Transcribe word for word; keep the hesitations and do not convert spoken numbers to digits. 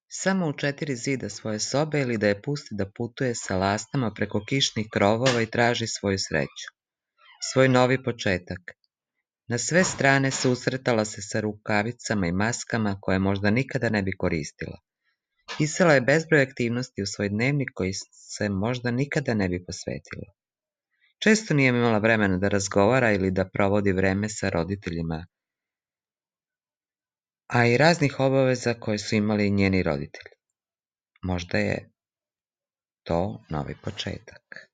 samo u četiri zida svoje sobe ili da je pusti da putuje sa lastama preko kišnih krovova i traži svoju sreću, svoj novi početak. Na sve strane susretala se sa rukavicama i maskama koje možda nikada ne bi koristila. Pisala je bezbroj aktivnosti u svoj dnevnik koji se možda nikada ne bi posvetila. Često nije imala vremena da razgovara ili da provodi vreme sa roditeljima, a i raznih obaveza koje su imali njeni roditelji. Možda je to novi početak.